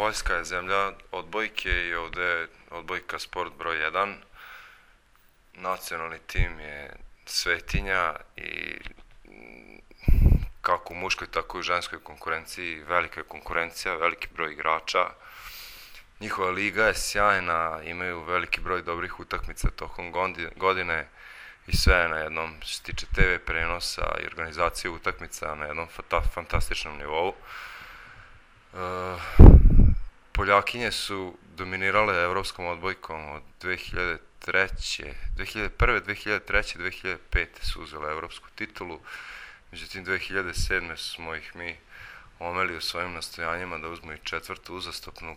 Poljska je zemlja odbojke i ovde je odbojka sport broj 1. Nacionalni tim je svetinja i kako u muškoj, tako i u ženskoj konkurenciji velika je konkurencija, veliki broj igrača. Njihova liga je sjajna, imaju veliki broj dobrih utakmica tokom godine i sve je na jednom, što se tiče TV prenosa i organizacije utakmica, na jednom fantastičnom nivou. Poljakinje su dominirale evropskom odbojkom od 2001. 2003. 2005. su uzele evropsku titulu. Međutim, 2007. smo ih mi omeli u svojim nastojanjima da uzmu i četvrtu uzastopnu.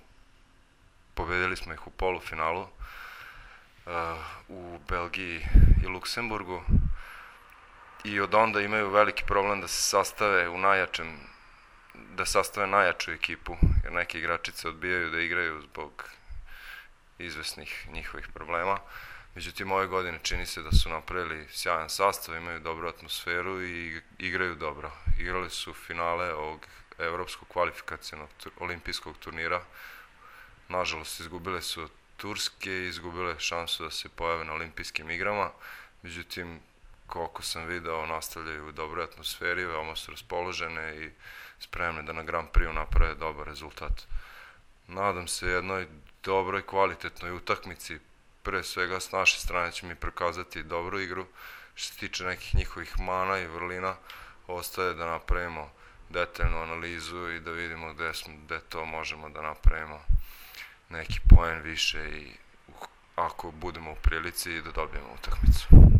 Pobedili smo ih u polufinalu u Belgiji i Luksemburgu i od onda imaju veliki problem da se sastave da sastave najjaču ekipu, jer neke igračice odbijaju da igraju zbog izvesnih njihovih problema. Međutim, ove godine čini se da su napravili sjajan sastav, imaju dobru atmosferu i igraju dobro. Igrali su finale ovog evropskog kvalifikacionog olimpijskog turnira. Nažalost, izgubile su od Turske i izgubile šansu da se pojave na olimpijskim igrama. Međutim, koliko sam video, nastavljaju u dobroj atmosferi, veoma su raspoložene i spremne da na Grand Prix naprave dobar rezultat. Nadam se jednoj dobroj, kvalitetnoj utakmici. Pre svega, s naše strane će mi prikazati dobru igru. Što se tiče nekih njihovih mana i vrlina, ostaje da napravimo detaljnu analizu i da vidimo gde to možemo da napravimo neki poen više i ako budemo u prilici da dobijemo utakmicu.